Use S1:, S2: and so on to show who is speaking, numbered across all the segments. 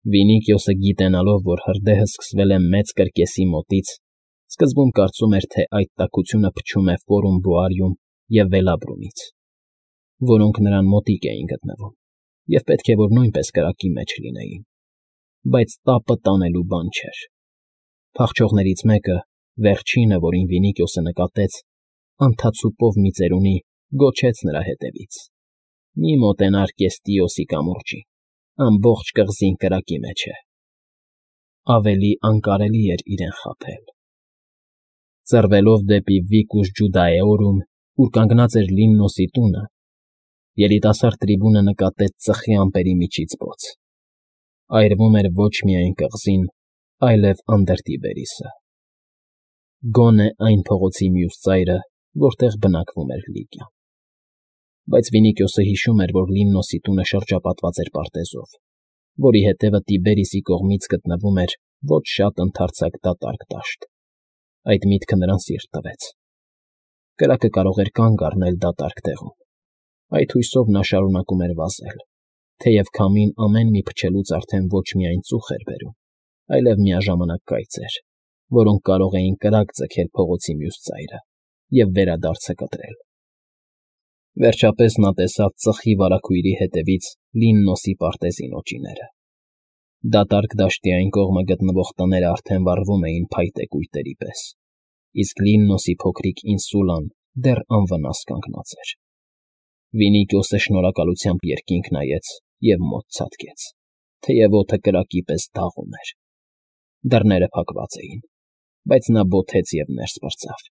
S1: Վինիկիոսը գիտենալով, որ հրդեհը սկսվել է մեծ կրկեսի մոտից, սկզբում կարծում էր, թե այդ տաքությունը փչում է Ֆորումբոարիում և Վելաբրունից, որոնք նրան մոտիկ էին գտնվում և պետք է որ նույնպես կրակի մեջ լինեին, բայց տապը տանելու բան չէր։ Փախչողներից մեկը, վերջինը, որին Վինիկիոսը նկատեց, անթացուպով մի ծերունի, գոչեց նրա հետևից. «Մի մոտենար Կեստիոսի կամուրջին, ամբողջ կղզին կրակի մեջ է»։ Ավելի անկարելի էր իրեն խաբել։ Ծռվելով դեպի Վիկուս Ջուդաեորում, ուր կանգնած էր Լիննոսի տունը, երիտասարդ տրիբունը նկատեց ծխի ամպերի միջից բոց. այրվում էր ոչ միայն կղզին, այլև Անդերտիբերիսը, գոնե այն փողոցի մյուս ծայրը, որտեղ բնակվում էր Լիգիան։ Բայց Վինիկիոսը հիշում էր, որ Լիննոսի տունը շրջապատված էր պարտեզով, որի հետևը Տիբերիսի կողմից գտնվում էր ոչ շատ ընդարձակ դատարկ դաշտ։ Այդ միտքը նրան սիրտ տվեց։ Կրակը կարող էր կանգ առնել դատարկ տեղում։ Այդ հույսով նա շարունակում էր վազել, թեև քամին ամեն մի փչելուց արդեն ոչ միայն ծուխ էր բերում, այլև միաժամանակ կայծեր, որոնք կարող էին կրակ ձգել փողոցի մյուս ծայրը և վերադարձը կտրել։ Վերջապես նա տեսավ ծխի վարագույրի հետևից Լիննոսի պարտեզի նոճիները։ Դատարկ դաշտի այն կողմը գտնվող տները արդեն վառվում էին փայտե կույտերի պես, իսկ Լիննոսի փոքրիկ ինսուլան դեռ անվնաս կանգնած էր։ Վինիկիոսը շնորհակալությամբ երկինք նայեց և մոտ ցատկեց, թեև օդը կրակի պես դաղում էր։ Դռները փակված էին, բայց նա բոթեց և ներս պրծավ։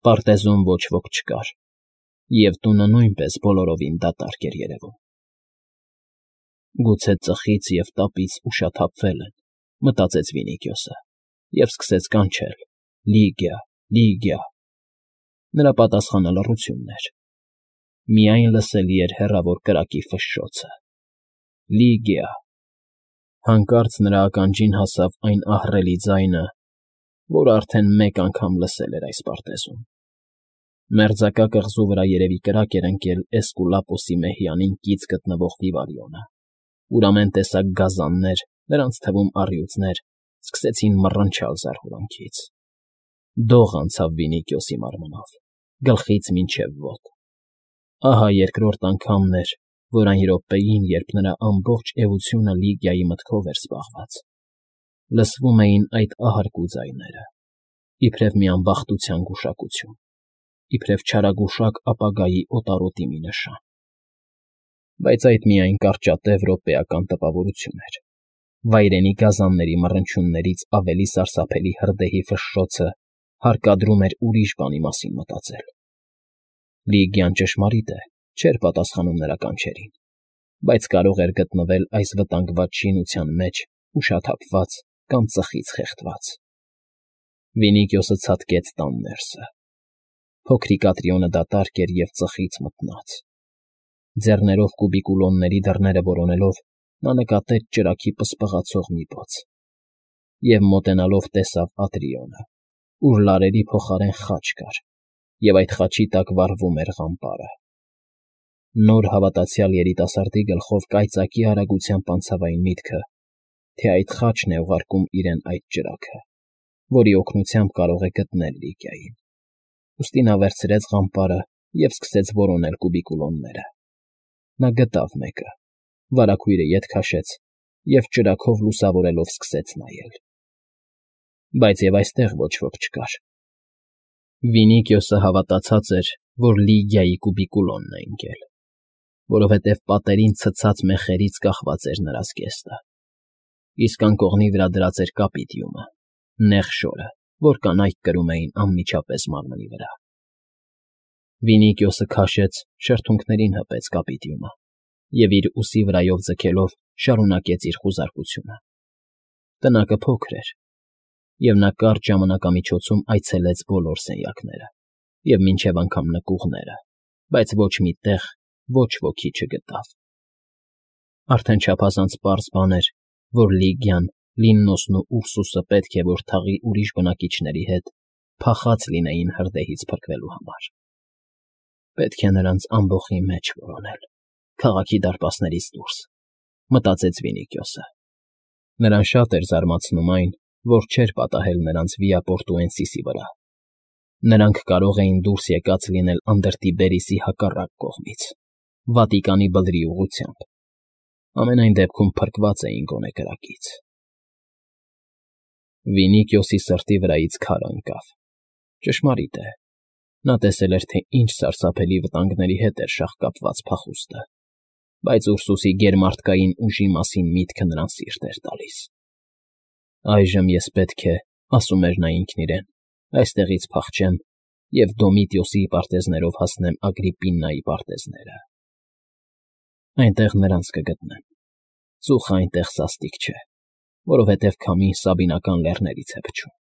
S1: Պարտեզում ոչ ոք չկար, և տունը նույնպես բոլորովին դատարկ էր երևում։ «Գուցե ծխից և տապից ուշաթափվել են», մտածեց Վինիկիոսը և սկսեց կանչել. «Լիգիա, Լիգիա»։ Նրա պատասխանը լռությունն էր։ Միայն լսելի էր հեռավոր կրակի ֆշշոցը. «Լիգիա»։ Հանկարծ նրա ականջին հասավ այն ահռելի ձայնը, որ արդեն մեկ անգամ լսել էր այս պարտեզում։ Մերձակա կղզու վրա երևի կրակ էր ընկել Էսկուլապոսի մեհյանին կից գտնվող Վիվարիոնը, ուր ամեն տեսակ գազաններ, նրանց թվում առյուծներ, սկսեցին մռնչալ զարհուրանքից։ Դող անցավ Վինիկիոսի մարմնով, գլխից մինչև ոտ։ Ահա երկրորդ անգամն էր, որ այն րոպեին, երբ նրա ամբողջ էությունը Լիգիայի մտքով էր զբաղված, լսվում էին այդ ահարկու ձայները, իբրև մի անբախտության գուշակություն, իբրև չարագուշակ ապագայի օտարոտի մի նշան։ Բայց այդ միայն կարճատև րոպեական տպավորություն էր։ Վայրենի գազանների մռնչյուններից ավելի սարսափելի հրդեհի ֆշշոցը հարկադրում էր ուրիշ բանի մասին մտածել։ Լիգիան, ճշմարիտ է, չէր պատասխանում նրա կանչերին, բայց կարող էր գտնվել այս վտանգված շինության մեջ ուշաթափված կամ ծխից խեղդված։ Վինիկիոսը ցատկեց տան ներսը։ Փոքրիկ Ատրիոնը դատարկ էր և ծխից մթնած։ Ձեռներով կուբիկուլոնների դռները որոնելով՝ նա նկատեց ճրագի պսպղացող մի բաց և մոտենալով տեսավ Ատրիոնը, ուր լարերի փոխարեն խաչ կար, և այդ խաչի տակ վառվում էր ղամպարը։ Նոր հավատացյալ երիտասարդի գլխով կայծակի արագությամբ անցավ այն միտքը, թե այդ խաչն է ուղարկում իրեն այդ ճրագը, որի օգնությամբ կարող է գտնել Լիգիային։ Ուստի նա վերցրեց ղամպարը և սկսեց որոնել կուբիկուլոնները։ Նա գտավ մեկը, վարագույրը ետ քաշեց և ճրագով լուսավորելով սկսեց նայել։ Բայց և այստեղ ոչ ոք չկար։ Վինիկիոսը հավատացած էր, որ Լիգիայի կուբիկուլոնն է ընկել, որովհետև պատերին ցցած մեխերից կախված էր նրա զգեստը, իսկ անկողնի վրա դրած էր կապիտիումը, նեղ շորը, որ կանայք կրում էին անմիջապես մարմնի վրա։ Վինիկիոսը քաշեց, շրթունքներին հպեց կապիտիումը և իր ուսի վրայով ձգելով շարունակեց իր խուզարկությունը։ Տնակը փոքր էր, և նա կարճ ժամանակամիջոցում այցելեց բոլոր սենյակները և մինչև անգամ նկուղները, բայց ոչ մի տեղ ոչ ոքի չգտավ։ Արդեն չափազանց պարզ բան էր, որ Լիգիան, Լիննոսն ու Ուրսուսը պետք է որ թաղի ուրիշ բնակիչների հետ փախած լինեին հրդեհից փրկվելու համար։ Պետք է նրանց ամբոխի մեջ որոնել, քաղաքի դարպասներից դուրս, մտածեց Վինիքյոսը։ Նրան շատ էր զարմացնում այն, որ չէր պատահել նրանց Վիապորտուենսիսի վրա։ Նրանք կարող էին դուրս եկած լինել Անդրտի Բերիսի հակառակ կողմից, Վատիկանի բլրի ուղղությամբ։ Ամենայն դեպքում փրկված էին գոնե կրակից։ Վինիքյոսի սրտի վրայից քար ընկավ։ Ճշմարիտ է, նա տեսել էր, թե ինչ սարսափելի վտանգների հետ էր շաղկապված փախուստը, բայց Ուրսուսի գերմարդկային ուժի մասին միտքը նրան սիրտ էր տալիս։ Այժմ ես պետք է, ասում էր նա ինքն իրեն, այստեղից փախչեմ և Դոմիտիոսի պարտեզներով հասնեմ Ագրիպպինայի պարտեզները։ Այնտեղ նրանց կգտնեմ։ Ծուխը այնտեղ սաստիկ չէ, որովհետև քամին Սաբինական լեռներից է փչում։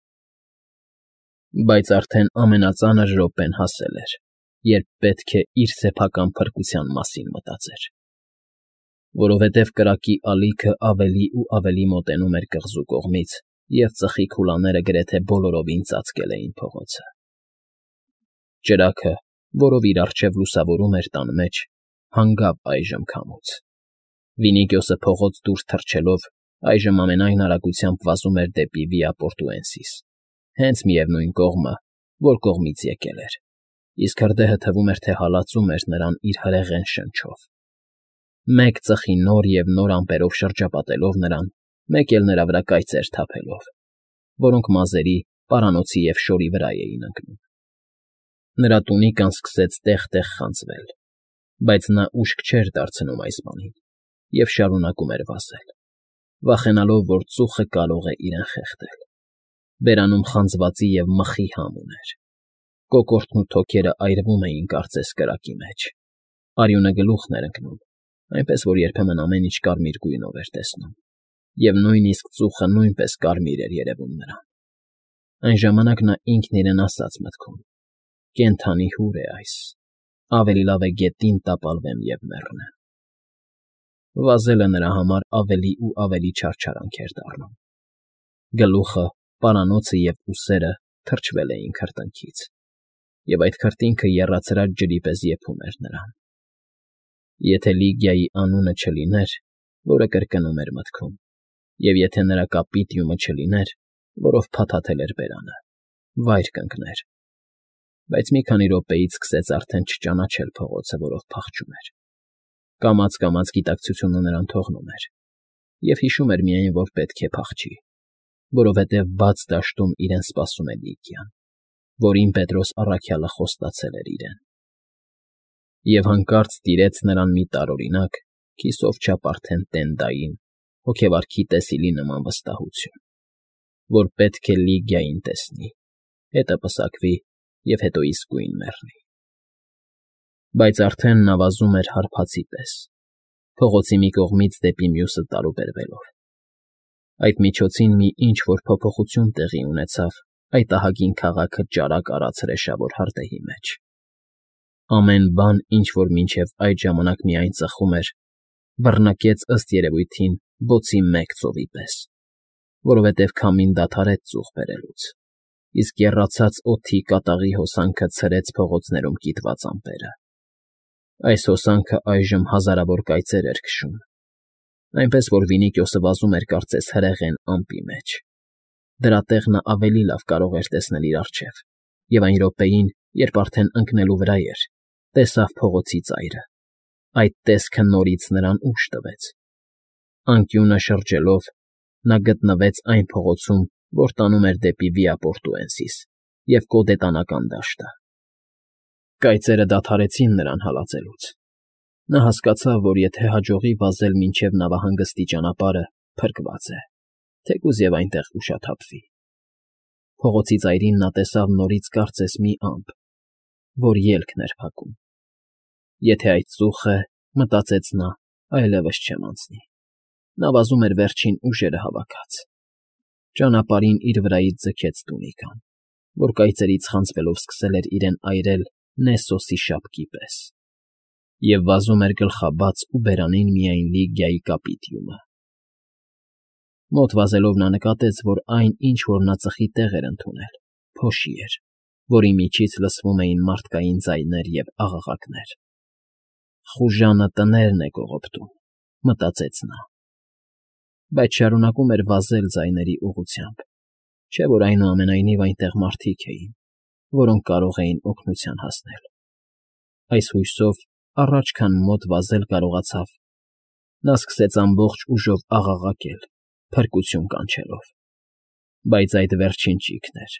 S1: Բայց արդեն ամենածանր րոպեն հասել էր, երբ պետք է իր սեփական փրկության մասին մտածեր։ Որովհետև կրակի ալիքը ավելի ու ավելի մոտենում էր կղզու կողմից, և ծխի քուլաները գրեթե բոլորովին ծածկել էին փողոցը։ Ճրագը, որով իր առջև լուսավորում էր տան մեջ, հանգավ այժմ քամուց։ Վինիքյոսը փողոց դուրս թռչելով այժմ ամենայն արագությամբ վազում էր դեպի Վիապորտուենսիս, հենց միևնույն կողմը, որ կողմից եկել էր, իսկ հրդեհը թվում էր, թե հալածում էր նրան իր հրեղեն շնչով։ Մեկ ծխի նոր և նոր ամպերով շրջապատելով նրան, մեկ էլ նրա վրա կայծեր թափելով, որոնք մազերի, պարանոցի և շորի վրա էին ընկնում։ Նրա տունիկան սկսեց տեղ֊տեղ խանձվել, բայց նա ուշք չէր դարձնում այս բանին և շարունակում էր վազել, վախենալով, որ ծուխը կարող է իրեն խեղդել։ Բերանում խանձվածի և մխի համ ուներ։ Կոկորդն ու թոքերը այրվում էին կարծես կրակի մեջ։ Արյունը գլուխն էր ընկնում, այնպես որ երբեմն ամեն ինչ կարմիր գույնով էր տեսնում, և նույնիսկ ծուխը նույնպես կարմիր էր երևում նրան։ Այն ժամանակ նա ինքն իրեն ասաց մտքում. «Կենդանի հուր է այս, ավելի լավ է գետին տապալվեմ և մեռնեմ»։ Վազելը նրա համար ավելի ու ավելի չարչարանք էր դառնում։ Գլուխը, պարանոցը և ուսերը թրջվել էին քրտինքից, և այդ քրտինքը եռացրած ջրի պես եփում էր նրան։ Եթե Լիգիայի անունը չլիներ, որը կրկնում էր մտքում, և եթե նրա կապիտիումը չլիներ, որով փաթաթել էր բերանը, վայր կընկներ։ Բայց մի քանի րոպեից սկսեց արդեն չճանաչել փողոցը, որով փախչում էր։ Կամաց֊կամաց գիտակցությունը նրան թողնում էր, և հիշում էր միայն, որ պետք է փախչի, որովհետև բաց դաշտում իրեն սպասում է Լիգիան, որին Պետրոս առաքյալը խոստացել էր իրեն։ Եվ հանկարծ տիրեց նրան մի տարօրինակ, քիսով չափ արդեն տենդային, հոգեվարքի տեսիլի նման վստահություն, որ պետք է Լիգիային տեսնի, հետը պսակվի և հետո իսկույն մեռնի։ Բայց արդեն նա վազում էր հարբածի պես, փողոցի մի կողմից դեպի մյուսը տարուբերվելով։ Այդ միջոցին մի ինչ֊որ փոփոխություն տեղի ունեցավ այդ ահագին քաղաքը ճարակ արած հրեշավոր հրդեհի մեջ։ Ամեն բան, ինչ որ մինչև այդ ժամանակ միայն ծխում էր, բռնկեց ըստ երևույթին բոցի մեկ ծովի պես, որովհետև քամին դադարեց ծուխ բերելուց, իսկ եռացած օդի կատաղի հոսանքը ցրեց փողոցներում կիտված ամպերը։ Այս հոսանքը այժմ հազարավոր կայծեր էր քշում, այնպես որ Վինիքյոսը վազում էր կարծես հրեղեն ամպի մեջ։ Դրա տեղ նա ավելի լավ կարող էր տեսնել իր առջև, և այն րոպեին, երբ արդեն ընկնելու վրա էր, տեսավ փողոցի ծայրը։ Այդ տեսքը նորից նրան ուժ տվեց։ Անկյունը շրջելով՝ նա գտնվեց այն փողոցում, որ տանում էր դեպի Վիապորտուենսիս և Կոդետանական դաշտը։ Կայծերը դադարեցին նրան հալածելուց։ Նա հասկացավ, որ եթե հաջողի վազել մինչև նավահանգստի ճանապարհը, փրկված է, թեկուզ և այնտեղ ուշաթափվի։ Փողոցի ծայրին նա տեսավ նորից կարծես մի ամպ, որ ելքն էր փակում։ Եթե այդ ծուխ է, մտածեց նա, այլևս չեմ անցնի։ Նա վազում էր վերջին ուժերը հավաքած։ Ճանապարհին իր վրայից ձգեց տունիկան, որ կայծերից խանձվելով սկսել էր իրեն այրել Նեսոսի շապկի պես, և վազում էր գլխաբաց ու բերանին միայն Լիգիայի կապիտիումը։ Մոտ վազելով նա նկատեց, որ այն, ինչ որ նա ծխի տեղ էր ընդունել, փոշի էր, որի միջից լսվում էին մարդկային ձայներ և աղաղակներ։ «Խուժանը տներն է կողոպտում», մտածեց նա, բայց շարունակում էր վազել ձայների ուղղությամբ, չէ՞ որ այնուամենայնիվ այնտեղ մարդիկ էին, որոնք կարող էին օգնության հասնել։ Այս հույսով առաջ քան մոտ վազել կարողացավ, նա սկսեց ամբողջ ուժով աղաղակել, փրկություն կանչելով։ Բայց այդ վերջին ճիգն էր։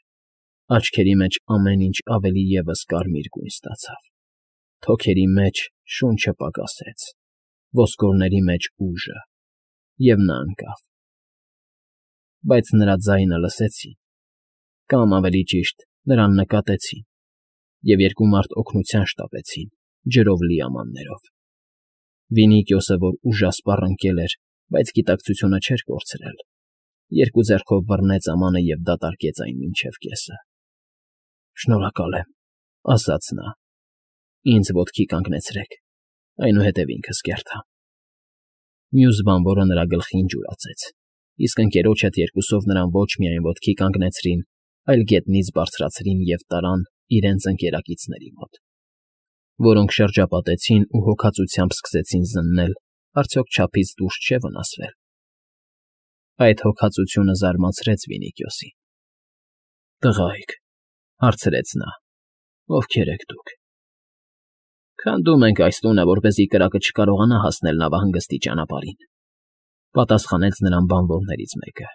S1: Աչքերի մեջ ամեն ինչ ավելի ևս կարմիր գույն ստացավ, թոքերի մեջ շունչը պակասեց, ոսկորների մեջ ուժը, և նա ընկավ։ Բայց նրա ձայնը լսեցին, կամ ավելի ճիշտ, նրան նկատեցին, և երկու մարդ օգնության շտապեցին ջրով լի ամաններով։ Վինիքիոսը, որ ուժասպառ ընկել էր, բայց գիտակցությունը չէր կորցրել, երկու ձեռքով բռնեց ամանը և դատարկեց այն մինչև կեսը։ «Շնորհակալ եմ,֊ ասաց նա,֊ ինձ ոտքի կանգնեցրեք, այնուհետև ինքս կերտամ»։ Մյուս բանվորը նրա գլխին ջուրացեց, իսկ ընկերոջ հետ երկուսով նրան ոչ միայն ոտքի կանգնեցրին, այլ գետնից բարձրացրին և տարան իրենց ընկերակիցների մոտ, որոնք շրջապատեցին ու հոգածությամբ սկսեցին զննել արդյոք չափից դուրս չէ՞ վնասվել։ Այդ հոգածությունը զարմացրեց Վինիքիոսին։ «Տղա՜յք,֊ հարցրեց նա,֊ ովքեր եք դուք»։ «Քանդում ենք այս տունը, որպեսզի կրակը չկարողանա հասնել նավահանգստի ճանապարհին,֊ պատասխանեց նրան բանվորներից մեկը։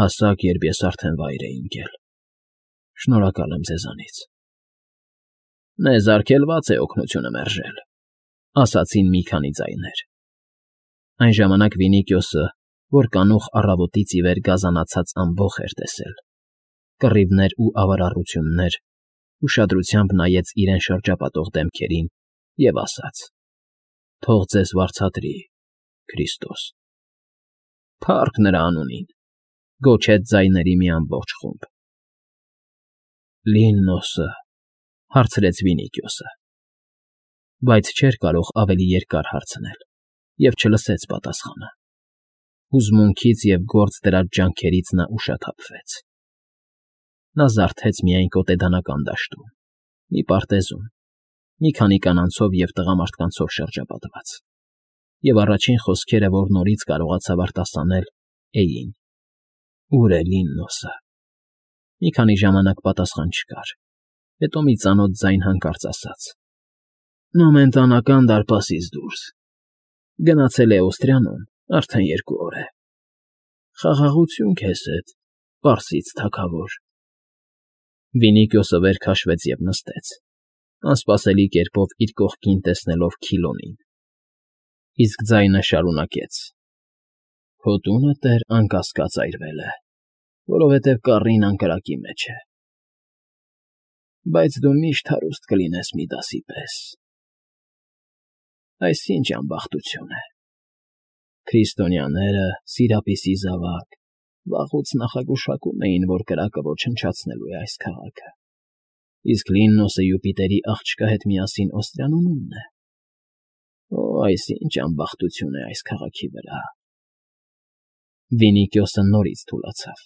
S1: «Հասաք, երբ ես արդեն վայր էի ընկել։ Շնորհակալ եմ ձեզանից»։ «Մեզ արգելված է օգնությունը մերժել,֊ ասացին մի քանի ձայներ։ Այն ժամանակ Վինիքիոսը, որ կանուխ առավոտից ի վեր գազանացած ամբոխ էր տեսել, կռիվներ ու ավարառություններ, ուշադրությամբ նայեց իրեն շրջապատող դեմքերին և ասաց. «Թող ձեզ վարձատրի, Քրիստոս»։ «Փառք նրա անունին,֊ գոչեց ձայների մի ամբողջ խումբ։ «Լիննոսը,֊ հարցրեց Վինիքիոսը, բայց չէր կարող ավելի երկար հարցնել և չլսեց պատասխանը։ Հուզմունքից և գործ դրած ջանքերից նա ուշաթափվեց։ Նա զարթեց միայն կոտեդանական դաշտում, մի պարտեզում, մի քանի կանանցով և տղամարդկանցով շրջապատված, և առաջին խոսքերը, որ նորից կարողացավ արտասանել, էին. «Ո՞ւր է Լիննոսը»։ Մի քանի ժամանակ պատասխան չկար, հետո մի ծանոթ ձայն հանկարծ ասաց. «Նոմենտանական դարպասից դուրս, գնացել է Օստրիանում արդեն 2 օր է։ Խաղաղություն քեզ հետ, պարսից թագավոր»։ Վինիքիոսը վեր քաշվեց և նստեց, անսպասելի կերպով իր կողքին տեսնելով Քիլոնին, իսկ ձայնը շարունակեց. «Քո տունը, տեր, անկասկած այրվել է, որովհետև կառին անկրակի մեջ է։ Բայց դու միշտ հարուստ կլինես Միդասի պես։ Այս ի՞նչ անբախտություն է։ Քրիստոնյաները, Սիրապիսի զավակ, վաղուց նախագուշակում էին, որ կրակը ոչնչացնելու է այս քաղաքը, իսկ Լիննոսը Յուպիտերի աղջկա հետ միասին Օստրիանումն է։ Օ, այս ի՜նչ անբախտություն է այս քաղաքի վրա»։ Վինիքիոսը նորից թուլացավ։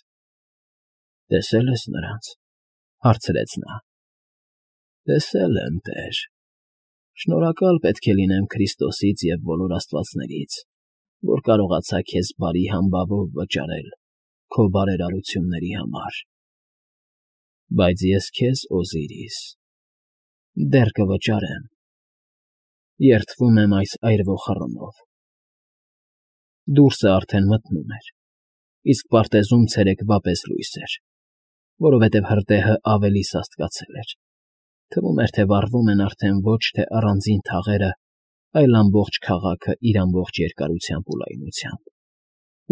S1: «Տեսե՞լ ես նրանց,֊ հարցրեց նա։ «Տեսել եմ, տեր։ Շնորհակալ պետք է լինեմ Քրիստոսից և բոլոր աստվածներից, որ կարողացա քեզ բարի համբավով վճարել քո բարերարությունների համար։ Բայց ես քեզ, Օզիրիս, դեռ կվճարեմ։ Երդվում եմ այս այրվող խռմով»։ Դուրսը արդեն մթնում էր, իսկ պարտեզում ցերեկվա պես լույս էր, որովհետև հրդեհը ավելի սաստկացել էր, թվում էր, թե վառվում են արդեն ոչ թե առանձին թաղերը, այլ ամբողջ քաղաքը իր ամբողջ երկարությամբ ու լայնությամբ,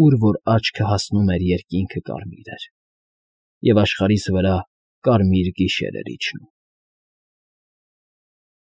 S1: ուր որ աչքը հասնում էր երկինքը կարմիր էր, և աշխարհիս վրա կարմիր գիշեր էր իջնում։